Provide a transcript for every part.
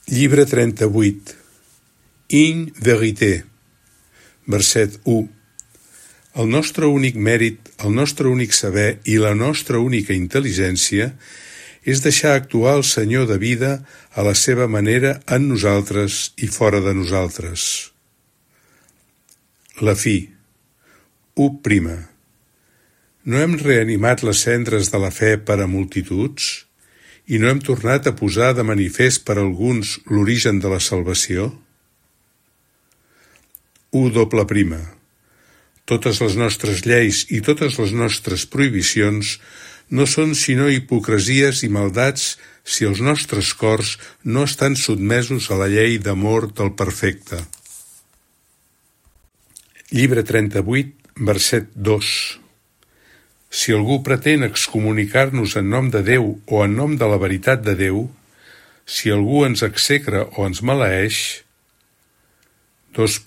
Llibre 38. In verité. Verset 1. El nostre únic mèrit, el nostre únic saber i la nostra única intel·ligència és deixar actuar el Senyor de vida a la seva manera en nosaltres i fora de nosaltres. La fi. 1. No hem reanimat les cendres de la fe per a multituds? I no hem tornat a posar de manifest per a alguns l'origen de la salvació? 1. Totes les nostres lleis i totes les nostres prohibicions no són sinó hipocresies i maldats si els nostres cors no estan sotmesos a la llei d'amor del perfecte. Llibre 38, verset 2. Si algú pretén excomunicar-nos en nom de Déu o en nom de la veritat de Déu, si algú ens execra o ens maleeix, 2.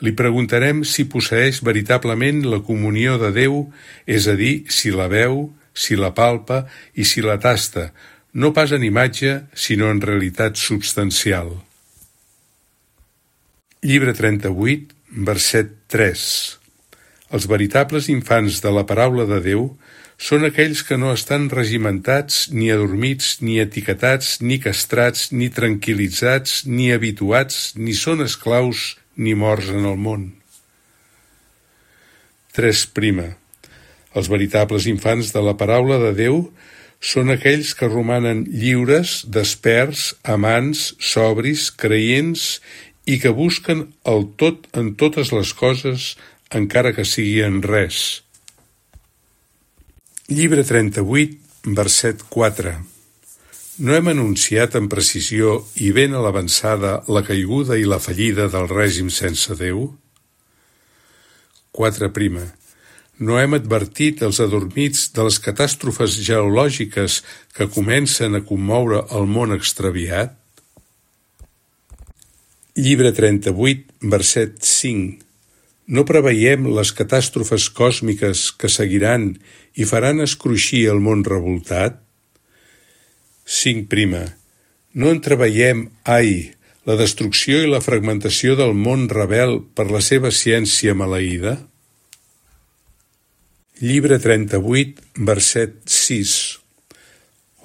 Li preguntarem si posseeix veritablement la comunió de Déu, és a dir, si la veu, si la palpa i si la tasta, no pas en imatge, sinó en realitat substancial. Llibre 38, verset 3. Els veritables infants de la paraula de Déu són aquells que no estan regimentats, ni adormits, ni etiquetats, ni castrats, ni tranquil·litzats, ni habituats, ni són esclaus, ni morts en el món. 3. Els veritables infants de la paraula de Déu són aquells que romanen lliures, desperts, amants, sobris, creients i que busquen el tot en totes les coses, encara que sigui en res. Llibre 38, verset 4. No hem anunciat amb precisió i ben a l'avançada la caiguda i la fallida del règim sense Déu? 4. No hem advertit els adormits de les catàstrofes geològiques que comencen a commoure el món extraviat? Llibre 38, verset 5. No preveiem les catàstrofes còsmiques que seguiran i faran escruixir el món revoltat? 5. No entreveiem, la destrucció i la fragmentació del món rebel per la seva ciència maleïda? Llibre 38, verset 6.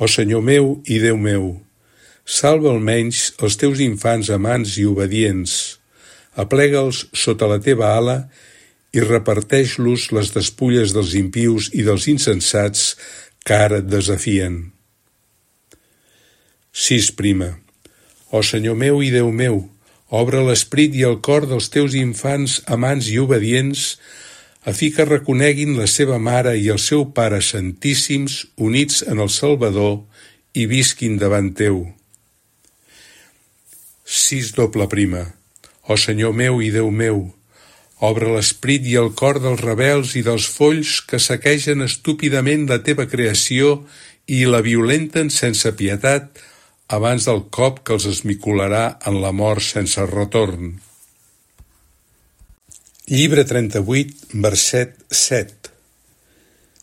Ó Senyor meu i Déu meu, salva almenys els teus infants amants i obedients, aplega'ls sota la teva ala i reparteix-los les despulles dels impius i dels insensats que ara et desafien. 6. Ó Senyor meu i Déu meu, obre l'esperit i el cor dels teus infants amants i obedients a fi que reconeguin la seva mare i el seu pare santíssims units en el Salvador i visquin davant teu. 6. Ó Senyor meu i Déu meu, obre l'esperit i el cor dels rebels i dels folls que saquegen estúpidament la teva creació i la violenten sense pietat abans del cop que els esmicolarà en la mort sense retorn. Llibre 38, verset 7.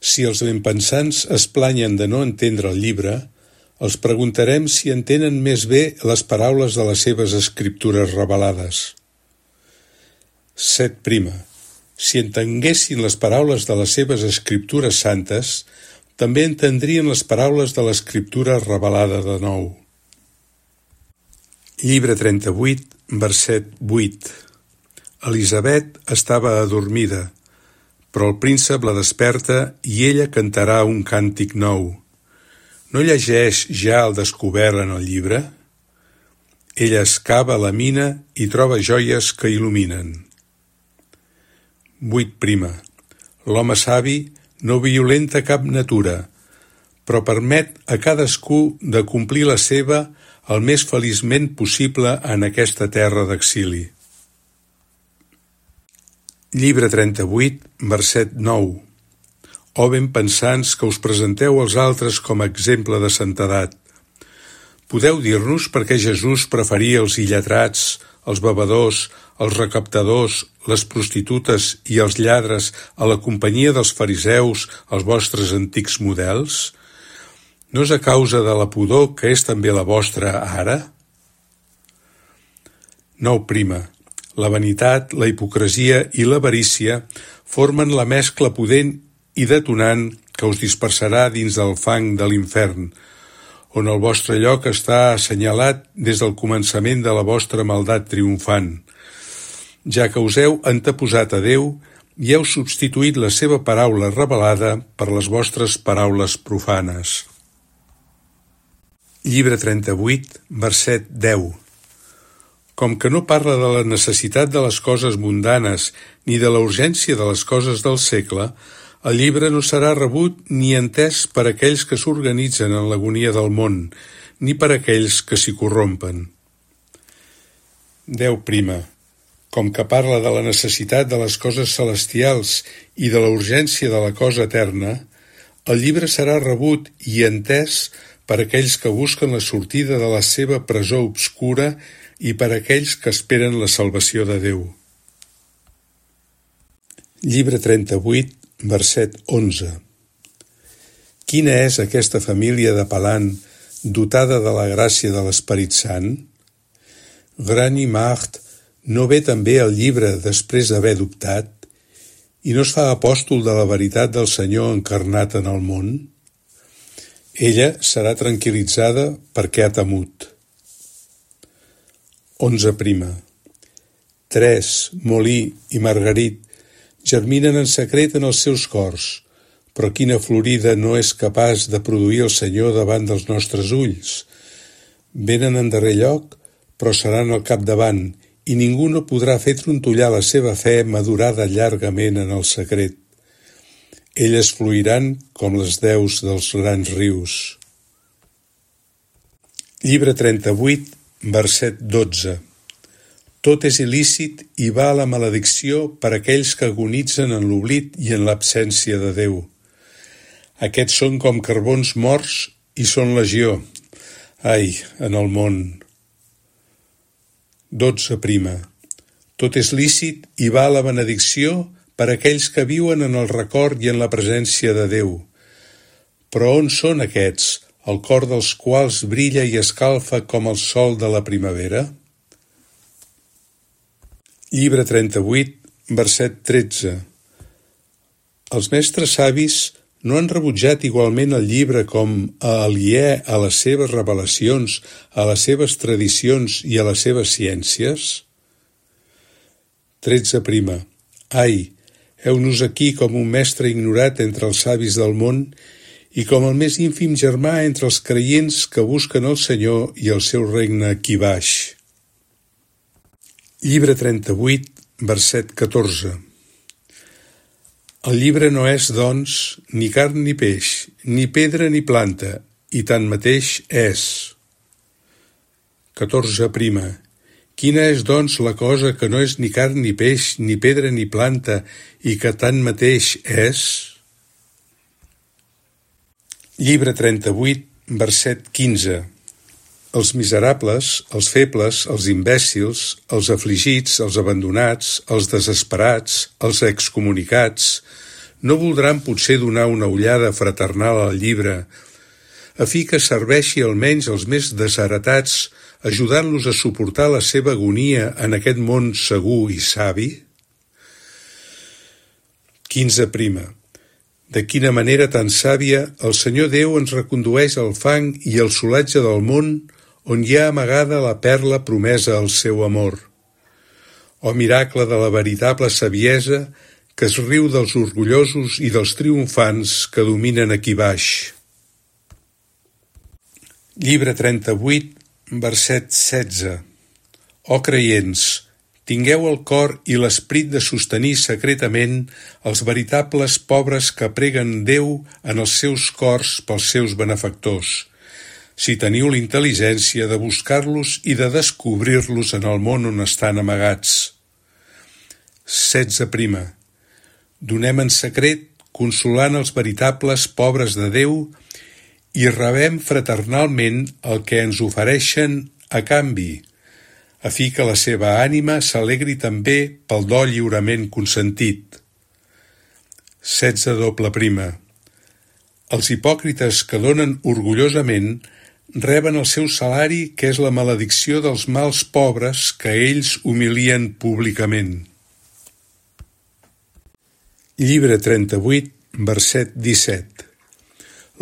Si els benpensants es planyen de no entendre el llibre, els preguntarem si entenen més bé les paraules de les seves escriptures revelades. 7. Si entenguessin les paraules de les seves escriptures santes, també entendrien les paraules de l'escriptura revelada de nou. Llibre 38, verset 8. Elisabet estava adormida, però el príncep la desperta i ella cantarà un càntic nou. No llegeix ja el descobert en el llibre? Ella excava la mina i troba joies que il·luminen. 8. L'home savi no violenta cap natura, però permet a cadascú de complir la seva el més feliçment possible en aquesta terra d'exili. Llibre 38, verset 9. Ó benpensants que us presenteu als altres com a exemple de santedat. Podeu dir-nos per què Jesús preferia els illetrats, els bevedors, els recaptadors, les prostitutes i els lladres a la companyia dels fariseus, els vostres antics models? No és a causa de la pudor que és també la vostra ara? 9. La vanitat, la hipocresia i l'avarícia formen la mescla pudent i detonant que us dispersarà dins del fang de l'infern, on el vostre lloc està assenyalat des del començament de la vostra maldat triomfant, ja que us heu anteposat a Déu i heu substituït la seva paraula revelada per les vostres paraules profanes. Llibre 38, verset 10. Com que no parla de la necessitat de les coses mundanes ni de la urgència de les coses del segle, el llibre no serà rebut ni entès per aquells que s'organitzen en l'agonia del món, ni per aquells que s'hi corrompen. 10. Com que parla de la necessitat de les coses celestials i de la urgència de la cosa eterna, el llibre serà rebut i entès per aquells que busquen la sortida de la seva presó obscura i per aquells que esperen la salvació de Déu. Llibre 38, verset 11. Quina és aquesta família de Palan dotada de la gràcia de l'Esperit Sant? Grani Macht no ve també el llibre després d'haver dubtat i no es fa apòstol de la veritat del Senyor encarnat en el món? Ella serà tranquil·litzada perquè ha temut. 11. Tres, Molí i Margarit germinen en secret en els seus cors, però quina florida no és capaç de produir el Senyor davant dels nostres ulls. Venen en darrer lloc, però seran al capdavant, i ningú no podrà fer trontollar la seva fe madurada llargament en el secret. Elles fluiran com les deus dels grans rius. Llibre 38, verset 12. Tot és il·lícit i va a la maledicció per aquells que agonitzen en l'oblit i en l'absència de Déu. Aquests són com carbons morts i són legió. Ai, en el món. 12. Tot és lícit i va a la benedicció per aquells que viuen en el record i en la presència de Déu. Però on són aquests, el cor dels quals brilla i escalfa com el sol de la primavera? Llibre 38, verset 13. Els mestres savis no han rebutjat igualment el llibre com a aliè a les seves revelacions, a les seves tradicions i a les seves ciències? 13. Ai, heu-nos aquí com un mestre ignorat entre els savis del món i com el més ínfim germà entre els creients que busquen el Senyor i el seu regne aquí baix. Llibre 38, verset 14. El llibre no és, doncs, ni carn ni peix, ni pedra ni planta, i tanmateix és. 14. Quina és, doncs, la cosa que no és ni carn ni peix, ni pedra ni planta, i que tanmateix és? Llibre 38, verset 15. Els miserables, els febles, els imbècils, els afligits, els abandonats, els desesperats, els excomunicats, no voldran potser donar una ullada fraternal al llibre, a fi que serveixi almenys els més desheretats, ajudant-los a suportar la seva agonia en aquest món segur i savi? 15. De quina manera tan sàvia el Senyor Déu ens recondueix al fang i al solatge del món on hi ha amagada la perla promesa al seu amor. O miracle de la veritable saviesa que es riu dels orgullosos i dels triomfants que dominen aquí baix. Llibre 38, verset 16. O creients, tingueu el cor i l'esperit de sostenir secretament els veritables pobres que preguen Déu en els seus cors pels seus benefactors, si teniu la intel·ligència de buscar-los i de descobrir-los en el món on estan amagats. 16. Donem en secret, consolant els veritables pobres de Déu, i rebem fraternalment el que ens ofereixen a canvi, a fi que la seva ànima s'alegri també pel do lliurement consentit. 16. Els hipòcrites que donen orgullosament reben el seu salari, que és la maledicció dels mals pobres que ells humilien públicament. Llibre 38, verset 17.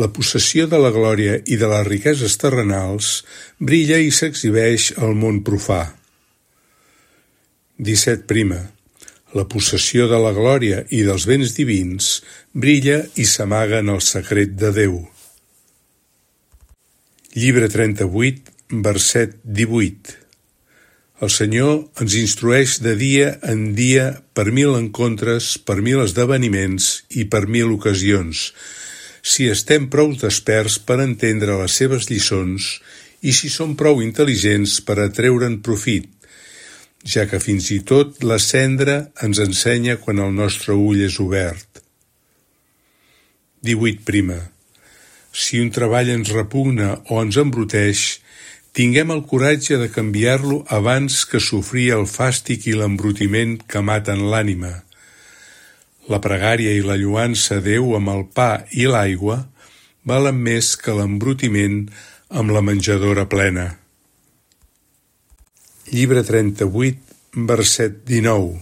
La possessió de la glòria i de les riqueses terrenals brilla i s'exhibeix al món profà. 17. La possessió de la glòria i dels béns divins brilla i s'amaga en el secret de Déu. Llibre 38, verset 18. El Senyor ens instrueix de dia en dia per 1000 encontres, per 1000 esdeveniments i per 1000 ocasions, si estem prou desperts per entendre les seves lliçons i si som prou intel·ligents per atreure'n profit, ja que fins i tot la cendra ens ensenya quan el nostre ull és obert. 18. Si un treball ens repugna o ens embruteix, tinguem el coratge de canviar-lo abans que sofrir el fàstic i l'embrutiment que maten l'ànima. La pregària i la lloança a Déu amb el pa i l'aigua valen més que l'embrutiment amb la menjadora plena. Llibre 38, verset 19.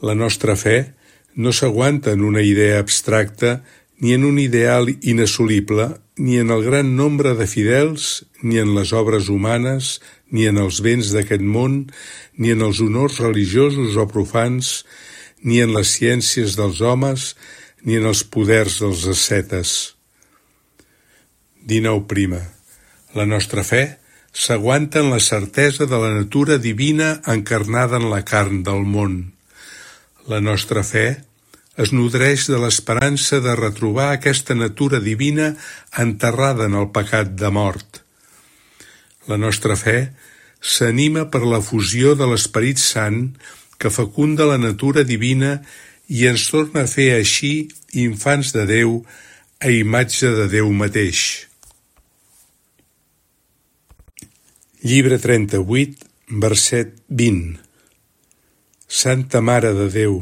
La nostra fe no s'aguanta en una idea abstracta ni en un ideal inassolible, ni en el gran nombre de fidels, ni en les obres humanes, ni en els béns d'aquest món, ni en els honors religiosos o profans, ni en les ciències dels homes, ni en els poders dels ascetes. 19. La nostra fe s'aguanta en la certesa de la natura divina encarnada en la carn del món. La nostra fe es nodreix de l'esperança de retrobar aquesta natura divina enterrada en el pecat de mort. La nostra fe s'anima per la fusió de l'Esperit Sant que fecunda la natura divina i ens torna a fer així infants de Déu a imatge de Déu mateix. Llibre 38, verset 20. Santa Mare de Déu,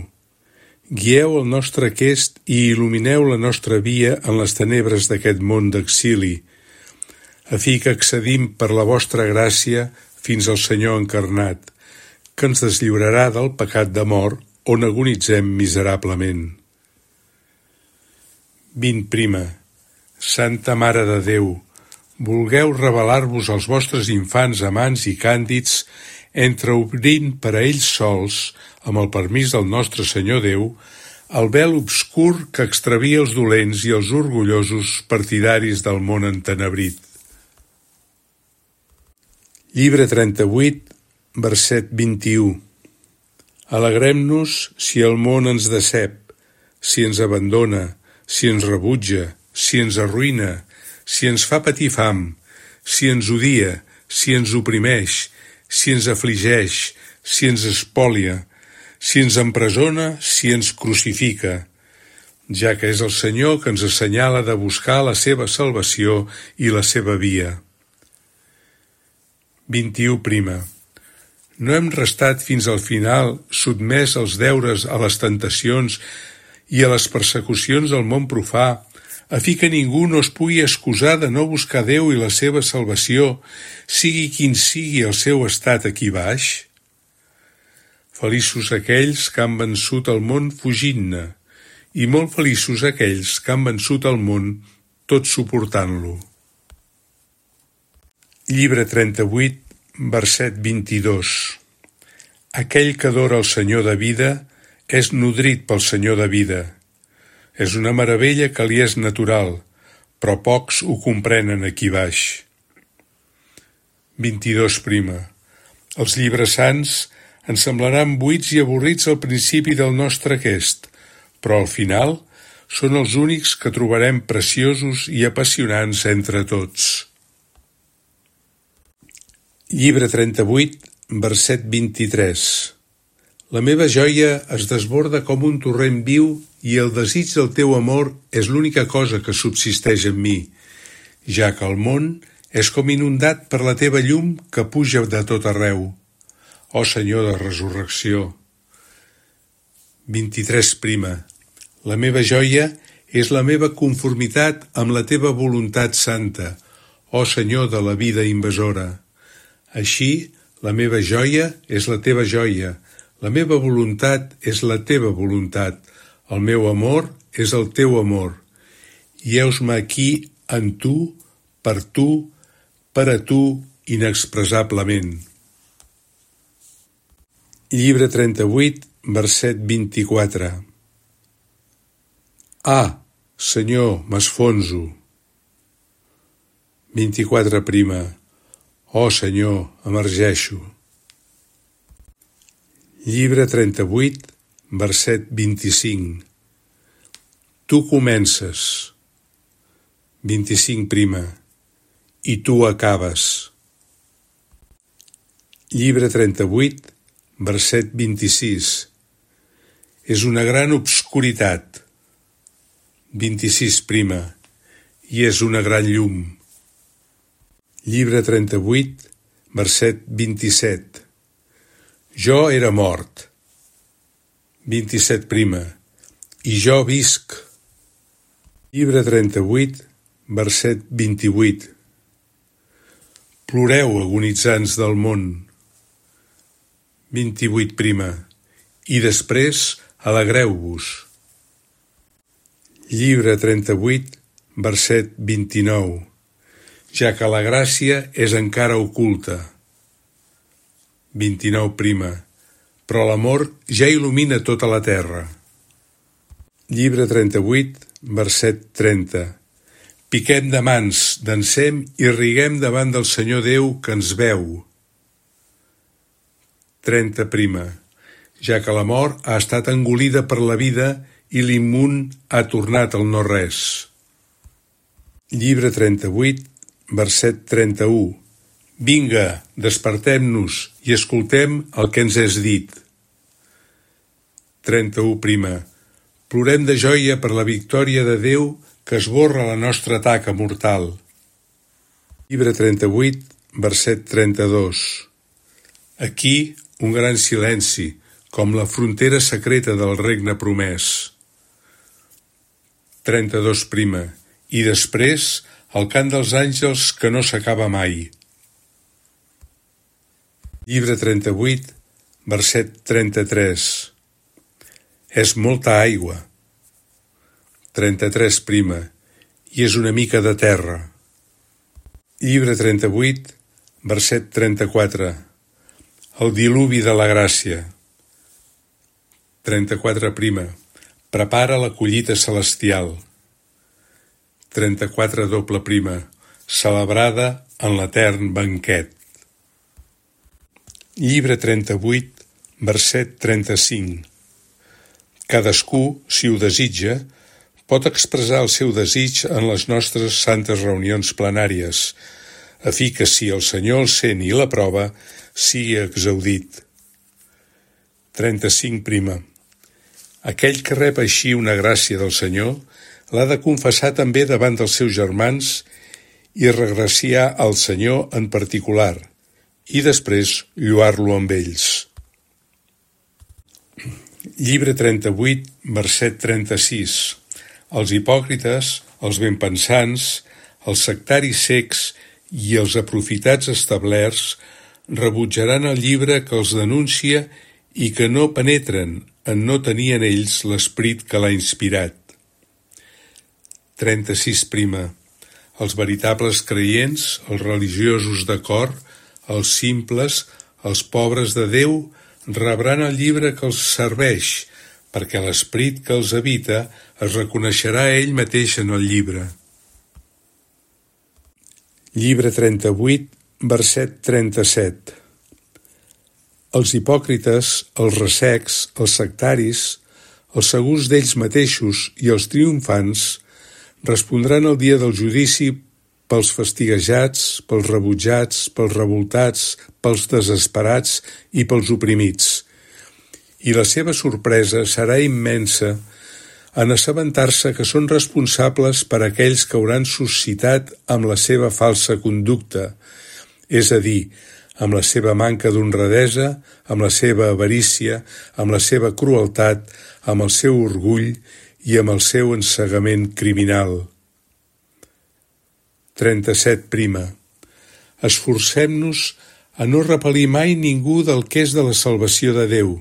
guieu el nostre aquest i il·lumineu la nostra via en les tenebres d'aquest món d'exili, a fi que accedim per la vostra gràcia fins al Senyor encarnat, que ens deslliurarà del pecat de mort on agonitzem miserablement. 20. Santa Mare de Déu, vulgueu revelar-vos als vostres infants amants i càndids, entreobrint per a ells sols, amb el permís del nostre Senyor Déu, el vel obscur que extravia els dolents i els orgullosos partidaris del món entenebrit. Llibre 38, verset 21. Alegrem-nos si el món ens decep, si ens abandona, si ens rebutja, si ens arruïna, si ens fa patir fam, si ens odia, si ens oprimeix, si ens afligeix, si ens espolia, si ens empresona, si ens crucifica, ja que és el Senyor que ens assenyala de buscar la seva salvació i la seva via. 21. No hem restat fins al final sotmès als deures, a les tentacions i a les persecucions del món profà, a fi que ningú no es pugui excusar de no buscar Déu i la seva salvació, sigui quin sigui el seu estat aquí baix? Feliços aquells que han vençut el món fugint-ne, i molt feliços aquells que han vençut el món tot suportant-lo. Llibre 38, verset 22. Aquell que adora el Senyor de vida és nodrit pel Senyor de vida. És una meravella que li és natural, però pocs ho comprenen aquí baix. 22. Els llibres sants ens semblaran buits i avorrits al principi del nostre aquest, però al final són els únics que trobarem preciosos i apassionants entre tots. Llibre 38, verset 23. La meva joia es desborda com un torrent viu i el desig del teu amor és l'única cosa que subsisteix en mi, ja que el món és com inundat per la teva llum que puja de tot arreu. Ó Senyor de resurrecció. 23. La meva joia és la meva conformitat amb la teva voluntat santa. ó Senyor de la vida invasora. Així, la meva joia és la teva joia, la meva voluntat és la teva voluntat, el meu amor és el teu amor. I heus-me aquí en tu, per a tu, inexpressablement. Llibre 38, verset 24. Ah, Senyor, m'esfonso. 24 prima. Oh, Senyor, emergeixo. Llibre 38, verset 25. Tu comences. 25 prima. I tu acabes. Llibre 38, verset 26. És una gran obscuritat. 26 prima. I és una gran llum. Llibre 38, verset 27. Jo era mort. 27 prima. I jo visc. Llibre 38, verset 28. Ploreu, agonitzants del món. 28 prima. I després alegreu-vos. Llibre 38, verset 29. Ja que la gràcia és encara oculta. 29 prima. Però l'amor ja il·lumina tota la terra. Llibre 38, verset 30. Piquem de mans, dansem i riguem davant del Senyor Déu que ens veu. 30 prima. Ja que la mort ha estat engolida per la vida i l'immund ha tornat al no-res. Llibre 38, verset 31. Vinga, despertem-nos i escoltem el que ens és dit. 31 prima. Plorem de joia per la victòria de Déu que esborra la nostra taca mortal. Llibre 38, verset 32. Aquí un gran silenci, com la frontera secreta del regne promès. 32 prima. I després el cant dels àngels que no s'acaba mai. Llibre 38, verset 33. És molta aigua. 33 prima. I és una mica de terra. Llibre 38, verset 34. El diluvi de la gràcia. 34 prima. Prepara la collita celestial. 34 doble prima. Celebrada en l'etern banquet. Llibre 38, verset 35. Cadascú, si ho desitja, pot expressar el seu desig en les nostres santes reunions plenàries, a fi que si el Senyor el sent i l'aprova, sigui exaudit. 35 prima. Aquell que rep així una gràcia del Senyor l'ha de confessar també davant dels seus germans i regraciar al Senyor en particular, i després lloar-lo amb ells. Llibre 38, verset 36. Els hipòcrites, els benpensants, els sectaris cecs i els aprofitats establerts rebutjaran el llibre que els denuncia i que no penetren en no tenir en ells l'esperit que l'ha inspirat. 36 prima. Els veritables creients, els religiosos de cor, els simples, els pobres de Déu, rebran el llibre que els serveix, perquè l'esperit que els habita es reconeixerà ell mateix en el llibre. Llibre 38, verset 37. Els hipòcrites, els ressecs, els sectaris, els segurs d'ells mateixos i els triomfants respondran el dia del judici pels fastiguejats, pels rebutjats, pels revoltats, pels desesperats i pels oprimits. I la seva sorpresa serà immensa en assabentar-se que són responsables per aquells que hauran suscitat amb la seva falsa conducta, és a dir, amb la seva manca d'honradesa, amb la seva avarícia, amb la seva crueltat, amb el seu orgull i amb el seu ensegament criminal. 37 prima. Esforcem-nos a no repel·lir mai ningú del que és de la salvació de Déu,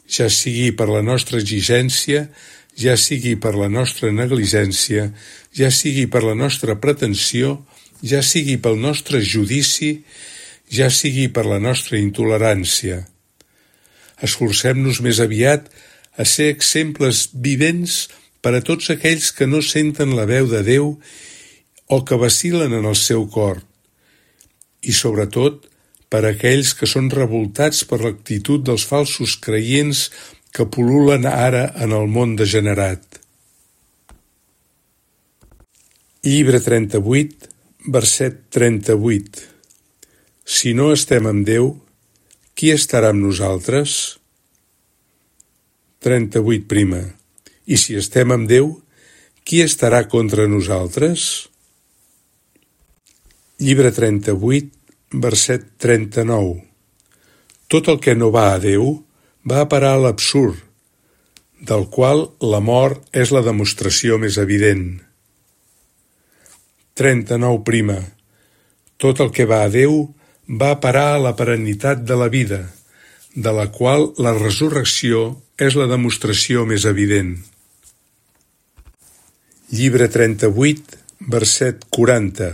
ja sigui per la nostra exigència, ja sigui per la nostra negligència, ja sigui per la nostra pretensió, ja sigui pel nostre judici, ja sigui per la nostra intolerància. Esforcem-nos més aviat a ser exemples vivents per a tots aquells que no senten la veu de Déu o que vacil·len en el seu cor, i sobretot per a aquells que són revoltats per l'actitud dels falsos creients que pul·lulen ara en el món degenerat. Llibre 38, verset 38. Si no estem amb Déu, qui estarà amb nosaltres? 38 prima. I si estem amb Déu, qui estarà contra nosaltres? Llibre 38, verset 39. Tot el que no va a Déu va a parar a l'absurd, del qual la mort és la demostració més evident. 39 prima. Tot el que va a Déu va a parar a la perennitat de la vida, de la qual la resurrecció és la demostració més evident. Llibre 38, verset 40.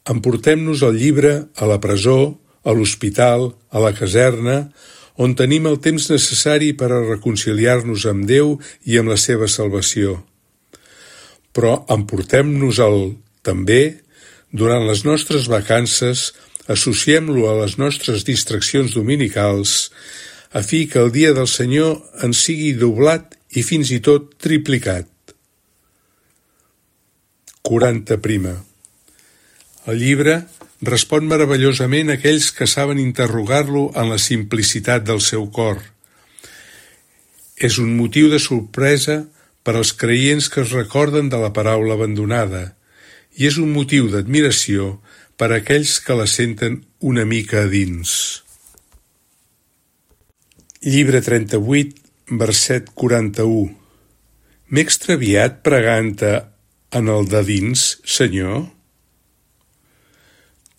Emportem-nos el llibre a la presó, a l'hospital, a la caserna, on tenim el temps necessari per a reconciliar-nos amb Déu i amb la seva salvació. Però emportem-nos-el també, durant les nostres vacances, associem-lo a les nostres distraccions dominicals, a fi que el dia del Senyor ens sigui doblat i fins i tot triplicat. 40 prima. El llibre respon meravellosament a aquells que saben interrogar-lo en la simplicitat del seu cor. És un motiu de sorpresa per als creients que es recorden de la paraula abandonada, i és un motiu d'admiració per a aquells que la senten una mica a dins. Llibre 38, verset 41. M'he extraviat pregant-te en el de dins, Senyor?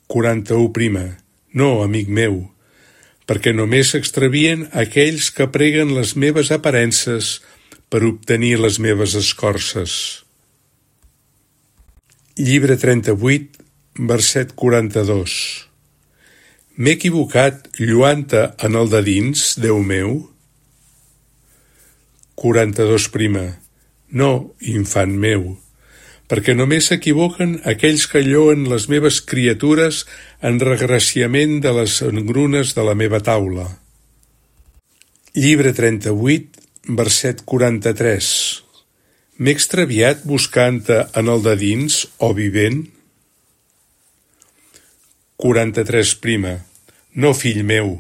41 prima. No, amic meu, perquè només s'extravien aquells que preguen les meves aparences per obtenir les meves escorces. Llibre 38, verset 42. M'he equivocat lluant-te en el de dins, Déu meu? 42 prima. No, infant meu, perquè només s'equivoquen aquells que lloen les meves criatures en regraciament de les engrunes de la meva taula. Llibre 38, verset 43. M'he extraviat buscant-te en el de dins, o vivent? 43 prima. No, fill meu,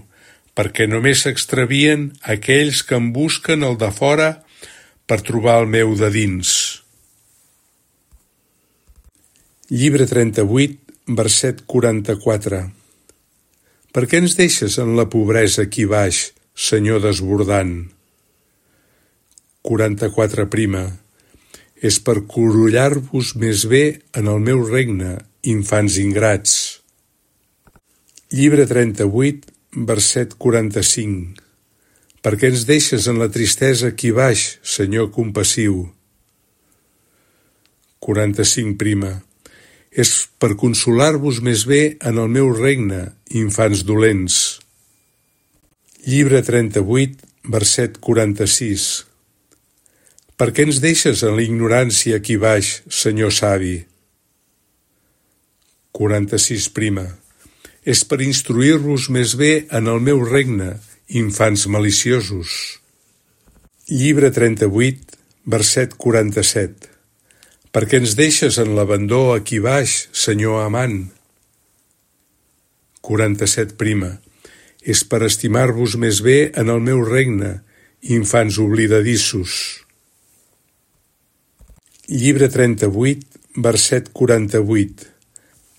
perquè només s'extravien aquells que em busquen el de fora per trobar el meu de dins. Llibre 38, verset 44. Per què ens deixes en la pobresa aquí baix, Senyor desbordant? 44 prima. És per corollar-vos més bé en el meu regne, infants ingrats. Llibre 38, verset 45. Per què ens deixes en la tristesa aquí baix, Senyor compassiu? 45 prima. És per consolar-vos més bé en el meu regne, infants dolents. Llibre 38, verset 46. Per què ens deixes en la ignorància aquí baix, Senyor savi? 46 prima. És per instruir-vos més bé en el meu regne, infants maliciosos. Llibre 38, verset 47. Per què ens deixes en l'abandó aquí baix, Senyor amant? 47 prima. És per estimar-vos més bé en el meu regne, infants oblidadissos. Llibre 38, verset 48.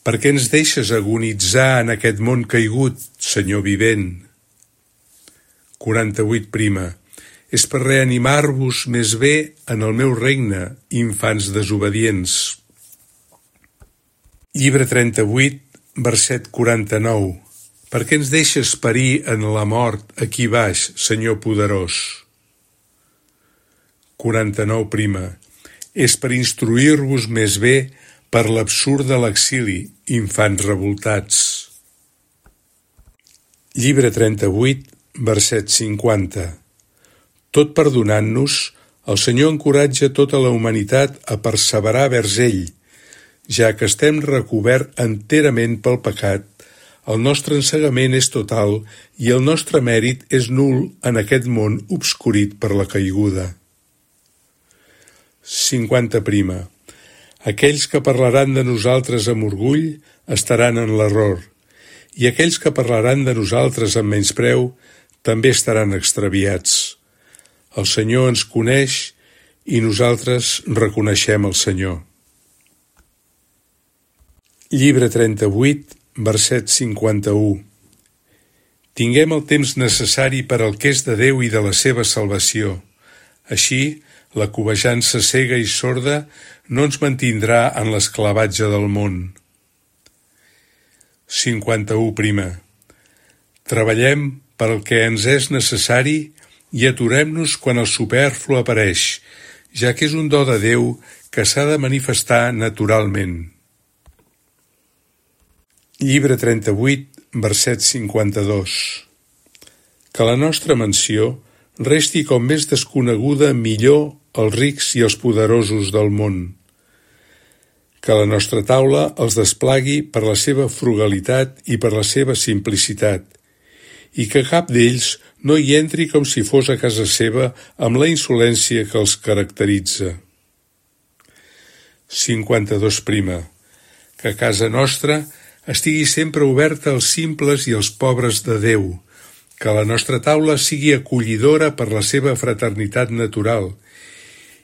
Per què ens deixes agonitzar en aquest món caigut, Senyor vivent? 48 prima. És per reanimar-vos més bé en el meu regne, infants desobedients. Llibre 38, verset 49. Per què ens deixes perir en la mort aquí baix, Senyor poderós? 49. És per instruir-vos més bé per l'absurd de l'exili, infants revoltats. Llibre 38, verset 50. Tot perdonant-nos, el Senyor encoratja tota la humanitat a perseverar vers ell, ja que estem recobert enterament pel pecat, el nostre ensegament és total i el nostre mèrit és nul en aquest món obscurit per la caiguda. 50. Aquells que parlaran de nosaltres amb orgull estaran en l'error, i aquells que parlaran de nosaltres amb menyspreu també estaran extraviats. El Senyor ens coneix i nosaltres reconeixem el Senyor. Llibre 38, verset 51. Tinguem el temps necessari per al que és de Déu i de la seva salvació. Així, la cobejança cega i sorda no ens mantindrà en l'esclavatge del món. 51. Treballem per al que ens és necessari i aturem-nos quan el superflu apareix, ja que és un do de Déu que s'ha de manifestar naturalment. Llibre 38, verset 52. Que la nostra mansió resti com més desconeguda millor als rics i als poderosos del món. Que la nostra taula els desplagui per la seva frugalitat i per la seva simplicitat, i que cap d'ells no hi entri com si fos a casa seva amb la insolència que els caracteritza. 52. Que casa nostra estigui sempre oberta als simples i als pobres de Déu, que la nostra taula sigui acollidora per la seva fraternitat natural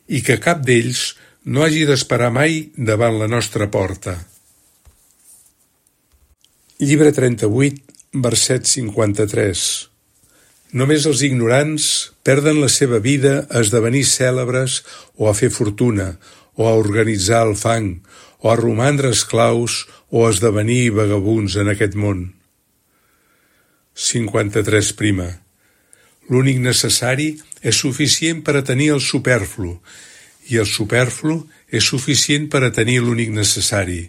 i que cap d'ells no hagi d'esperar mai davant la nostra porta. Llibre 38, verset 53. Només els ignorants perden la seva vida a esdevenir cèlebres o a fer fortuna, o a organitzar el fang, o a romandre esclaus o a esdevenir vagabunds en aquest món. 53. L'únic necessari és suficient per a tenir el superflu, i el superflu és suficient per a tenir l'únic necessari,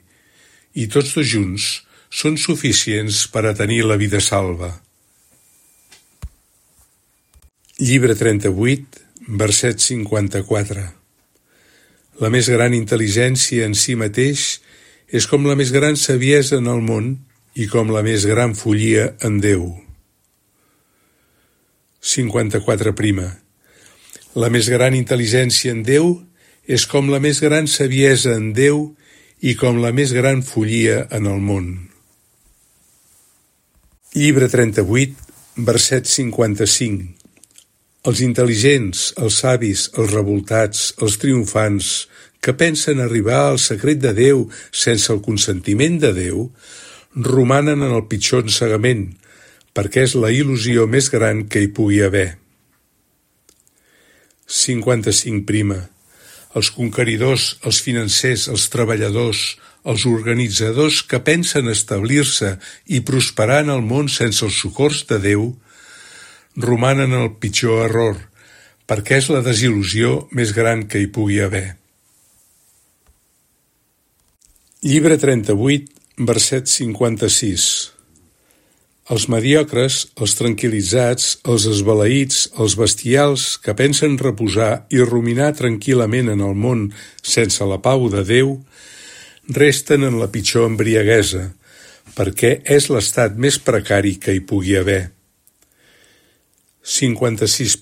i tots dos junts són suficients per a tenir la vida salva. Llibre 38, verset 54. La més gran intel·ligència en si mateix és com la més gran saviesa en el món i com la més gran follia en Déu. 54. La més gran intel·ligència en Déu és com la més gran saviesa en Déu i com la més gran follia en el món. Llibre 38, verset 55. Els intel·ligents, els savis, els revoltats, els triomfants, que pensen arribar al secret de Déu sense el consentiment de Déu, romanen en el pitjor ensegament, perquè és la il·lusió més gran que hi pugui haver. 55. Els conqueridors, els financers, els treballadors, els organitzadors que pensen establir-se i prosperar en el món sense els socors de Déu, romanen el pitjor error, perquè és la desil·lusió més gran que hi pugui haver. Llibre 38, verset 56. Els mediocres, els tranquil·litzats, els esbalaïts, els bestials que pensen reposar i ruminar tranquil·lament en el món sense la pau de Déu, resten en la pitjor embriaguesa, perquè és l'estat més precari que hi pugui haver. 56.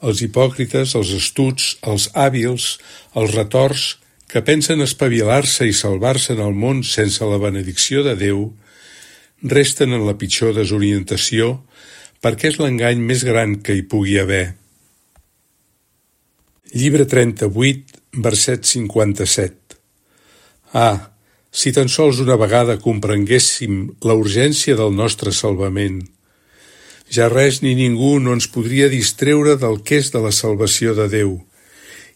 Els hipòcrites, els astuts, els hàbils, els retors, que pensen espavilar-se i salvar-se en el món sense la benedicció de Déu, resten en la pitjor desorientació perquè és l'engany més gran que hi pugui haver. Llibre 38, verset 57. Si tan sols una vegada comprenguéssim la urgència del nostre salvament, ja res ni ningú no ens podria distreure del que és de la salvació de Déu,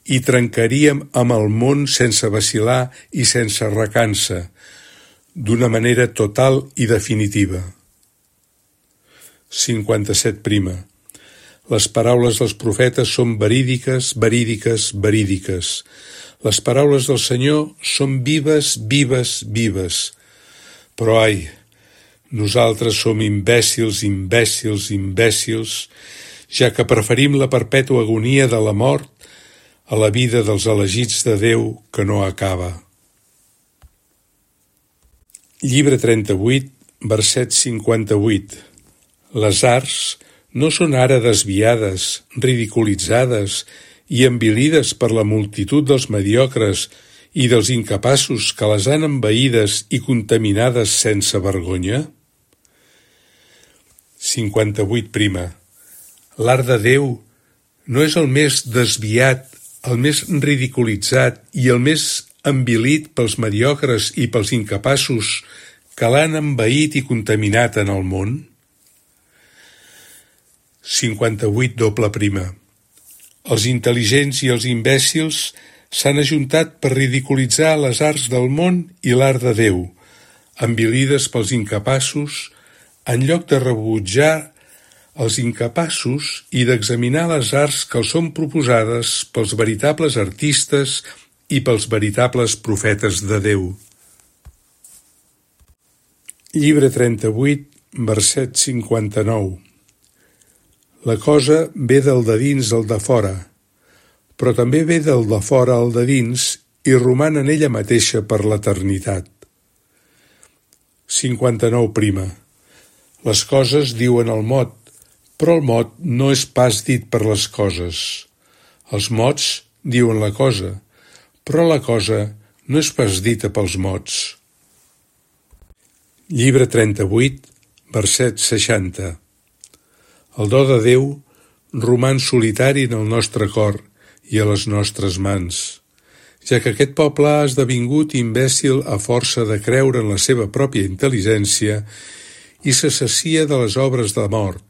i trencaríem amb el món sense vacil·lar i sense recança, d'una manera total i definitiva. 57. Les paraules dels profetes són verídiques, verídiques, verídiques. Les paraules del Senyor són vives, vives, vives. Però ai, nosaltres som imbècils, imbècils, imbècils, ja que preferim la perpètua agonia de la mort a la vida dels elegits de Déu que no acaba. Llibre 38, verset 58. Les arts no són ara desviades, ridiculitzades i envilides per la multitud dels mediocres i dels incapaços que les han envaïdes i contaminades sense vergonya? 58. L'art de Déu no és el més desviat, el més ridiculitzat i el més envilit pels mediocres i pels incapaços que l'han envaït i contaminat en el món? 58. Els intel·ligents i els imbècils s'han ajuntat per ridiculitzar les arts del món i l'art de Déu, envilides pels incapaços, en lloc de rebutjar els incapaços i d'examinar les arts que els són proposades pels veritables artistes i pels veritables profetes de Déu. Llibre 38, verset 59. La cosa ve del de dins al de fora, però també ve del de fora al de dins i roman en ella mateixa per l'eternitat. 59. Les coses diuen el mot, però el mot no és pas dit per les coses. Els mots diuen la cosa, però la cosa no és pas dita pels mots. Llibre 38, verset 60. El do de Déu roman solitari en el nostre cor i a les nostres mans, ja que aquest poble ha esdevingut imbècil a força de creure en la seva pròpia intel·ligència i se sacia de les obres de mort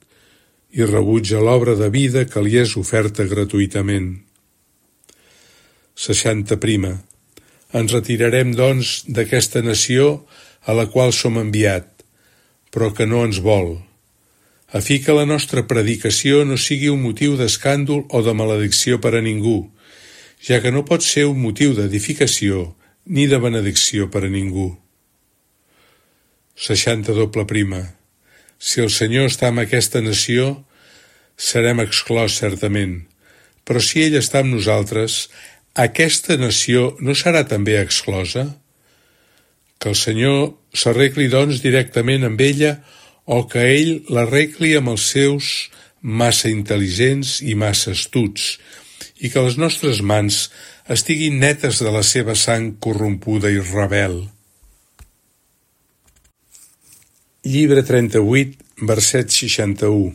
i rebutja l'obra de vida que li és oferta gratuïtament. 60. Ens retirarem, doncs, d'aquesta nació a la qual som enviat, però que no ens vol, a fi que la nostra predicació no sigui un motiu d'escàndol o de maledicció per a ningú, ja que no pot ser un motiu d'edificació ni de benedicció per a ningú. 60. Si el Senyor està amb aquesta nació, serem exclòs certament, però si ell està amb nosaltres, aquesta nació no serà també exclosa? Que el Senyor s'arregli doncs directament amb ella o que ell l'arregli amb els seus massa intel·ligents i massa astuts, i que les nostres mans estiguin netes de la seva sang corrompuda i rebel. Llibre 38, verset 61.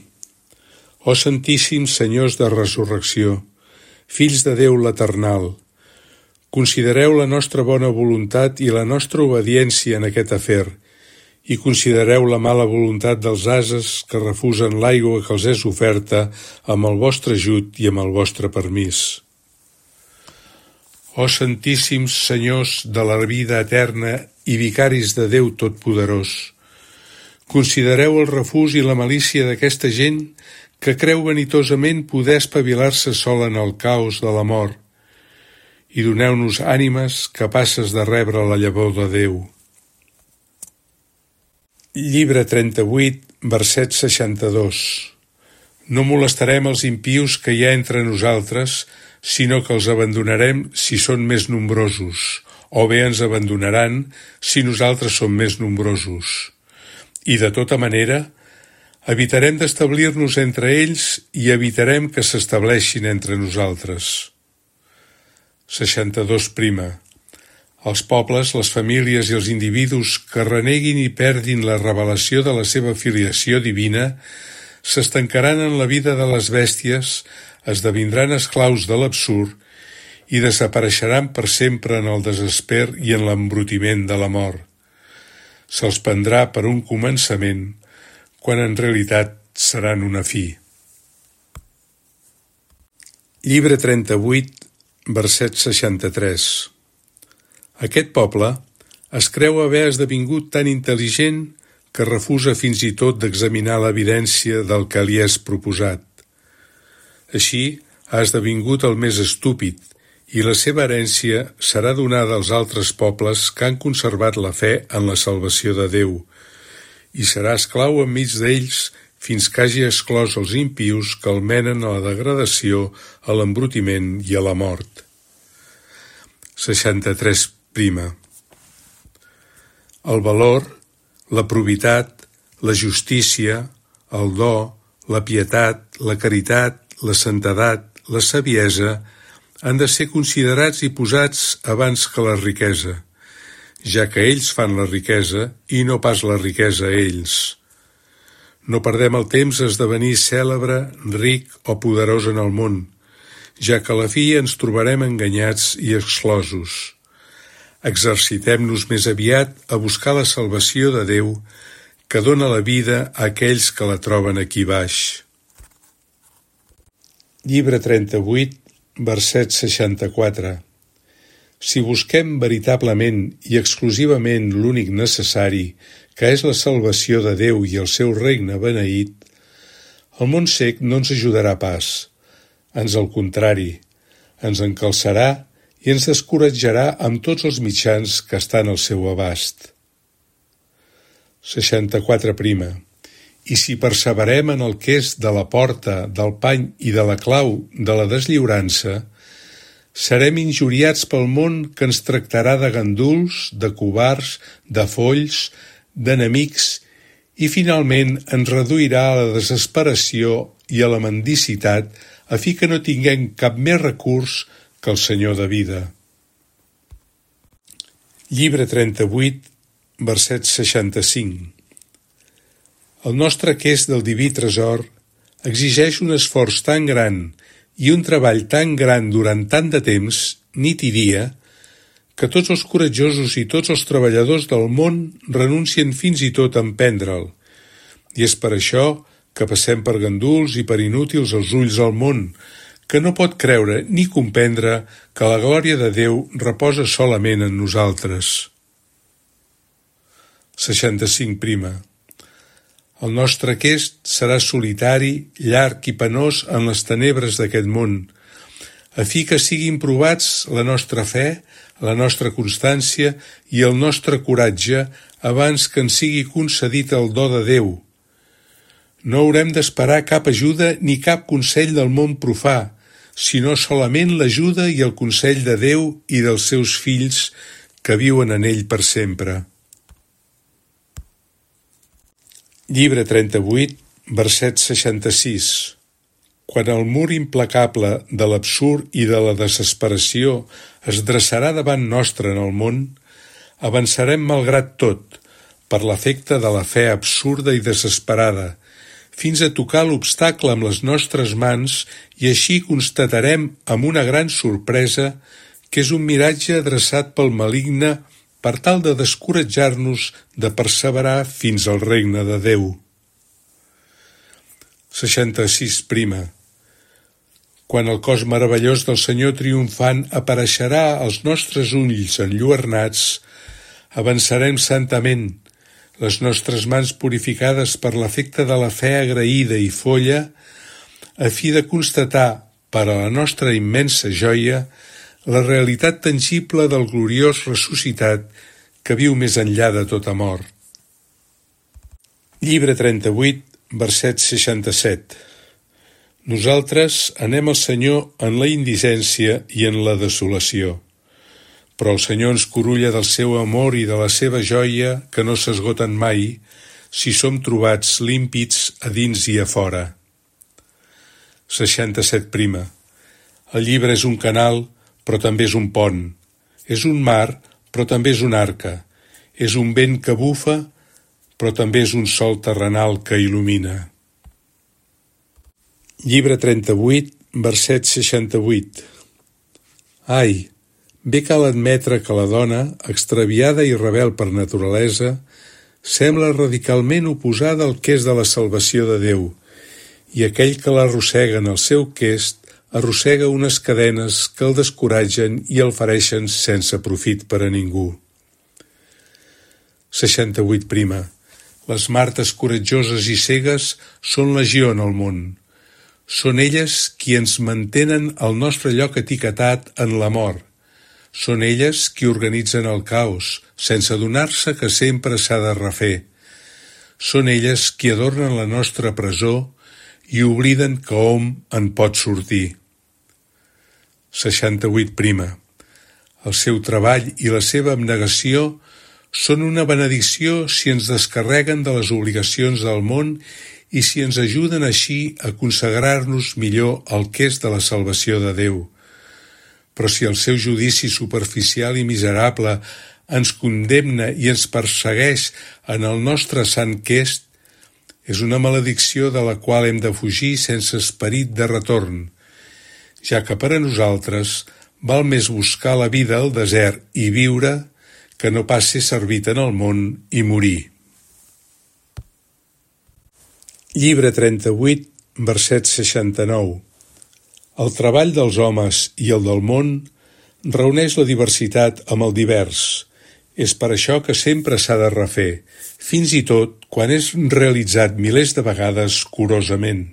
Ó Santíssims Senyors de Resurrecció, fills de Déu l'Eternal, considereu la nostra bona voluntat i la nostra obediència en aquest afer, i considereu la mala voluntat dels ases que refusen l'aigua que els és oferta amb el vostre ajut i amb el vostre permís. Ó Santíssims Senyors de la vida eterna i vicaris de Déu Totpoderós, considereu el refús i la malícia d'aquesta gent que creu vanitosament poder espavilar-se sola en el caos de la mort i doneu-nos ànimes capaces de rebre la llavor de Déu. Llibre 38, verset 62. No molestarem els impius que hi ha entre nosaltres, sinó que els abandonarem si són més nombrosos, o bé ens abandonaran si nosaltres som més nombrosos. I de tota manera, evitarem d'establir-nos entre ells i evitarem que s'estableixin entre nosaltres. 62. Els pobles, les famílies i els individus que reneguin i perdin la revelació de la seva filiació divina s'estancaran en la vida de les bèsties, esdevindran esclaus de l'absurd i desapareixeran per sempre en el desesper i en l'embrutiment de la mort. Se'ls prendrà per un començament, quan en realitat seran una fi. Llibre 38, verset 63. Aquest poble, Es creu haver esdevingut tan intel·ligent que refusa fins i tot d'examinar l'evidència del que li és proposat. Així, ha esdevingut el més estúpid, i la seva herència serà donada als altres pobles que han conservat la fe en la salvació de Déu, i serà esclau enmig d'ells fins que hagi exclòs els impius que el menen a la degradació, a l'embrutiment i a la mort. 63. El valor, la probitat, la justícia, el do, la pietat, la caritat, la santedat, la saviesa han de ser considerats i posats abans que la riquesa, ja que ells fan la riquesa i no pas la riquesa a ells. No perdem el temps a esdevenir cèlebre, ric o poderós en el món, ja que a la fi ens trobarem enganyats i exclosos. Exercitem-nos més aviat a buscar la salvació de Déu, que dóna la vida a aquells que la troben aquí baix. Llibre 38, verset 64. Si busquem veritablement i exclusivament l'únic necessari, que és la salvació de Déu i el seu regne beneït, el món cec no ens ajudarà pas. Ans al contrari, ens encalçarà i ens descoratjarà amb tots els mitjans que estan al seu abast. 64. I si perseverem en el que és de la porta, del pany i de la clau de la deslliurança, serem injuriats pel món que ens tractarà de ganduls, de covards, de folls, d'enemics i finalment ens reduirà a la desesperació i a la mendicitat a fi que no tinguem cap més recurs que el Senyor de vida. Llibre 38, verset 65. El nostre quest del diví tresor exigeix un esforç tan gran i un treball tan gran durant tant de temps, nit i dia, que tots els coratjosos i tots els treballadors del món renuncien fins i tot a emprendre'l, i és per això que passem per ganduls i per inútils als ulls del món, que no pot creure ni comprendre que la glòria de Déu reposa solament en nosaltres. 65. El nostre quest serà solitari, llarg i penós en les tenebres d'aquest món, a fi que siguin provats la nostra fe, la nostra constància i el nostre coratge abans que ens sigui concedit el do de Déu. No haurem d'esperar cap ajuda ni cap consell del món profà, sinó solament l'ajuda i el consell de Déu i dels seus fills que viuen en ell per sempre. Llibre 38, verset 66. Quan el mur implacable de l'absurd i de la desesperació es dreçarà davant nostre en el món, avançarem malgrat tot, per l'efecte de la fe absurda i desesperada, fins a tocar l'obstacle amb les nostres mans i així constatarem amb una gran sorpresa que és un miratge adreçat pel maligne per tal de descoratjar-nos de perseverar fins al regne de Déu. 66. Quan el cos meravellós del Senyor triomfant apareixerà als nostres ulls enlluernats, avançarem santament, les nostres mans purificades per l'efecte de la fe agraïda i folla, a fi de constatar, per a la nostra immensa joia, la realitat tangible del gloriós ressuscitat que viu més enllà de tota mort. Llibre 38, verset 67. Nosaltres anem al Senyor en la indigència i en la desolació, però el Senyor ens curulla del seu amor i de la seva joia que no s'esgoten mai si som trobats límpids a dins i a fora. 67. El llibre és un canal, però també és un pont. És un mar, però també és una arca. És un vent que bufa, però també és un sol terrenal que il·lumina. Llibre 38, verset 68. Ai, bé cal admetre que la dona, extraviada i rebel per naturalesa, sembla radicalment oposada al quest de la salvació de Déu, i aquell que l'arrossega en el seu quest arrossega unes cadenes que el descoratgen i el fereixen sense profit per a ningú. 68. Les martes coratjoses i cegues són legió en el món. Són elles qui ens mantenen al nostre lloc etiquetat en la mort. Són elles qui organitzen el caos, sense adonar-se que sempre s'ha de refer. Són elles qui adornen la nostra presó i obliden que hom en pot sortir. 68. El seu treball i la seva abnegació són una benedicció si ens descarreguen de les obligacions del món i si ens ajuden així a consagrar-nos millor al que és de la salvació de Déu. Però si el seu judici superficial i miserable ens condemna i ens persegueix en el nostre sant quest, és una maledicció de la qual hem de fugir sense esperit de retorn, ja que per a nosaltres val més buscar la vida al desert i viure que no pas ser servit en el món i morir. Llibre 38, verset 69. El treball dels homes i el del món reuneix la diversitat amb el divers. És per això que sempre s'ha de refer, fins i tot quan és realitzat milers de vegades curosament.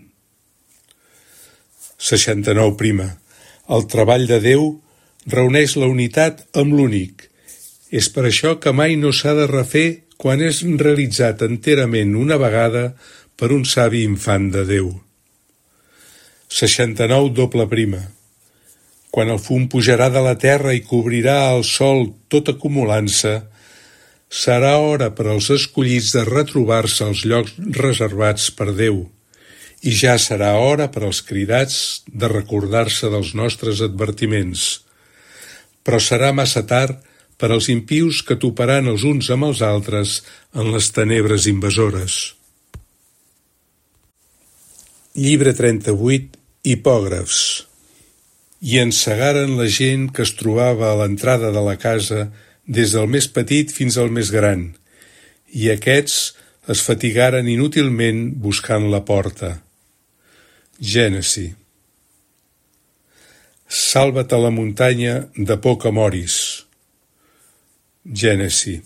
69. El treball de Déu reuneix la unitat amb l'únic. És per això que mai no s'ha de refer quan és realitzat enterament una vegada per un savi infant de Déu. 69. Quan el fum pujarà de la terra i cobrirà el sol tot acumulant-se, serà hora per als escollits de retrobar-se als llocs reservats per Déu, i ja serà hora per als cridats de recordar-se dels nostres advertiments. Però serà massa tard per als impius que toparan els uns amb els altres en les tenebres invasores. Llibre 38, Hipògrafs. I ensegaren la gent que es trobava a l'entrada de la casa des del més petit fins al més gran, i aquests es fatigaren inútilment buscant la porta. Gènesi. Salva't a la muntanya de poc amoris. Gènesi.